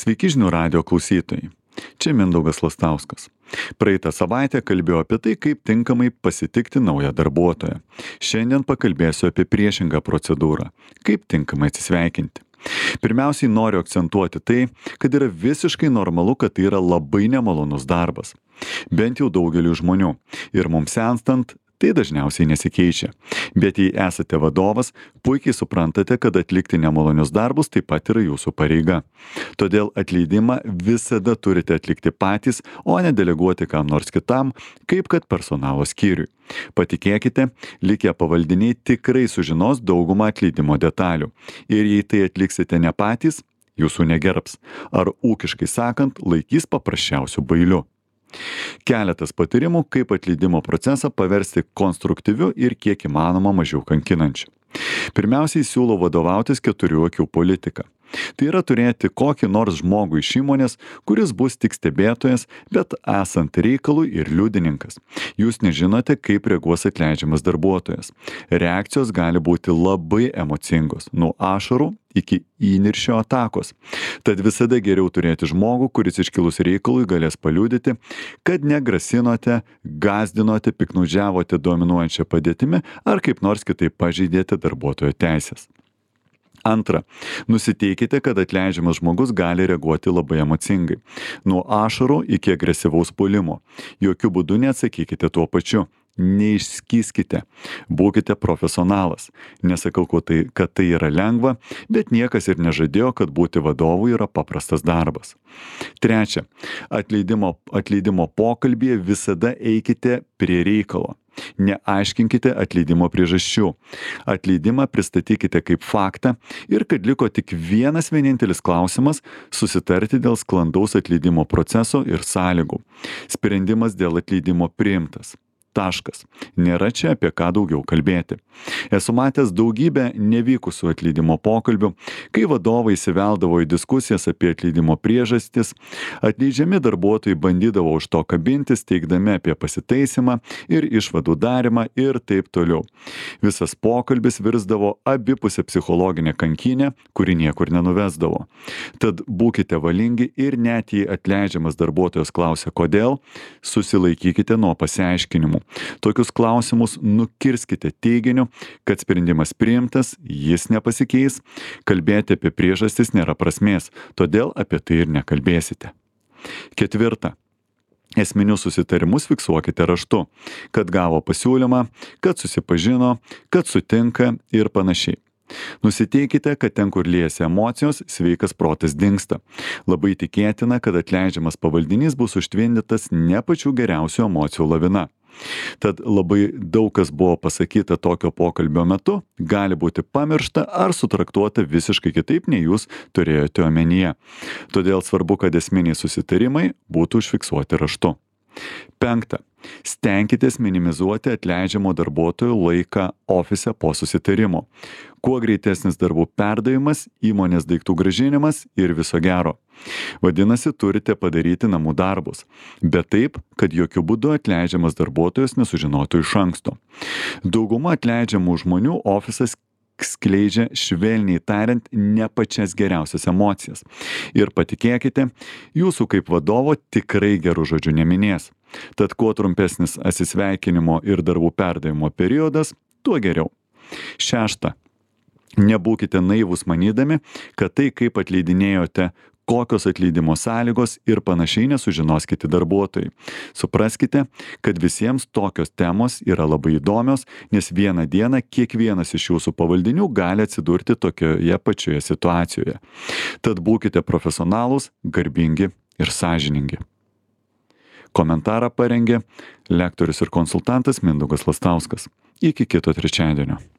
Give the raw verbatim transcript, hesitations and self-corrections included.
Sveiki žinių radijo klausytojai. Čia Mindaugas Lastauskas. Praeitą savaitę kalbėjau apie tai, kaip tinkamai pasitikti naują darbuotoją. Šiandien pakalbėsiu apie priešingą procedūrą - kaip tinkamai atsisveikinti. Pirmiausiai noriu akcentuoti tai, kad yra visiškai normalu, kad tai yra labai nemalonus darbas. Bent jau daugeliu žmonių. Ir mums senstant, tai dažniausiai nesikeičia. Bet jei esate vadovas, puikiai suprantate, kad atlikti nemalonius darbus taip pat yra jūsų pareiga. Todėl atleidimą visada turite atlikti patys, o ne deleguoti kam nors kitam, kaip kad personalo skyriui. Patikėkite, likę pavaldiniai tikrai sužinos daugumą atleidimo detalių. Ir jei tai atliksite ne patys, jūsų negerbs. Ar ūkiškai sakant, laikys paprasčiausių bailių. Keletas patarimų, kaip atleidimo procesą paversti konstruktyviu ir kiek įmanoma mažiau kankinančiu. Pirmiausiai siūlau vadovautis keturių akių politika. Tai yra turėti kokį nors žmogų iš įmonės, kuris bus tik stebėtojas, bet esant reikalui ir liudininkas. Jūs nežinote, kaip reaguos atleidžiamas darbuotojas. Reakcijos gali būti labai emocingos, nuo ašarų iki įniršio atakos. Tad visada geriau turėti žmogų, kuris iškilus reikalui galės paliudyti, kad negrasinote, gazdinote, piknaudžiavote dominuojančią padėtimi ar kaip nors kitaip pažeidėte darbuotojo teisės. Antra, nusiteikite, kad atleidžiamas žmogus gali reaguoti labai emocingai. Nuo ašarų iki agresyvaus puolimo. Jokių būdų neatsakykite tuo pačiu. Neišskyskite. Būkite profesionalas. Nesakau, kad tai yra lengva, bet niekas ir nežadėjo, kad būti vadovu yra paprastas darbas. Trečia, atleidimo, atleidimo pokalbyje visada eikite prie reikalo. Neaiškinkite atleidimo priežasčių. Atleidimą pristatykite kaip faktą ir kad liko tik vienas vienintelis klausimas - susitarti dėl sklandaus atleidimo proceso ir sąlygų. Sprendimas dėl atleidimo priimtas. Taškas. Nėra čia apie ką daugiau kalbėti. Esu matęs daugybę nevykusių atleidimo pokalbių, kai vadovai įsiveldavo į diskusijas apie atleidimo priežastis, atleidžiami darbuotojai bandydavo už to kabintis, teigdami apie pasitaisymą ir išvadų darimą ir taip toliau. Visas pokalbis virsdavo abipusę psichologinę kankinę, kuri niekur nenuvesdavo. Tad būkite valingi ir net jei atleidžiamas darbuotojas klausia kodėl, susilaikykite nuo pasiaiškinimų. Tokius klausimus nukirskite teiginiu, kad sprendimas priimtas, jis nepasikeis, kalbėti apie priežastis nėra prasmės, todėl apie tai ir nekalbėsite. Ketvirta. Esminius susitarimus fiksuokite raštu, kad gavo pasiūlymą, kad susipažino, kad sutinka ir panašiai. Nusiteikite, kad ten, kur liejasi emocijos, sveikas protas dingsta. Labai tikėtina, kad atleidžiamas pavaldinys bus užtvindytas ne pačių geriausių emocijų lavina. Tad labai daug kas buvo pasakyta tokio pokalbio metu, gali būti pamiršta ar sutraktuota visiškai kitaip, nei jūs turėjote omenyje. Todėl svarbu, kad esminiai susitarimai būtų užfiksuoti raštu. Penkta. Stenkitės minimizuoti atleidžiamo darbuotojo laiką ofise po susitarimo. Kuo greitesnis darbų perdavimas, įmonės daiktų grąžinimas ir viso gero. Vadinasi, turite padaryti namų darbus, bet taip, kad jokių būdų atleidžiamas darbuotojas nesužinotų iš anksto. Dauguma atleidžiamų žmonių ofisas skleidžia, švelniai tariant, ne pačias geriausias emocijas. Ir patikėkite, jūsų kaip vadovo tikrai gerų žodžių neminės. Tad kuo trumpesnis atsisveikinimo ir darbų perdavimo periodas, tuo geriau. Šešta. Nebūkite naivūs manydami, kad tai, kaip atleidinėjote, kokios atleidimo sąlygos ir panašiai nesužinos kiti darbuotojai. Supraskite, kad visiems tokios temos yra labai įdomios, nes vieną dieną kiekvienas iš jūsų pavaldinių gali atsidurti tokioje pačioje situacijoje. Tad būkite profesionalūs, garbingi ir sąžiningi. Komentarą parengė lektorius ir konsultantas Mindaugas Lastauskas. Iki kito trečiadienio.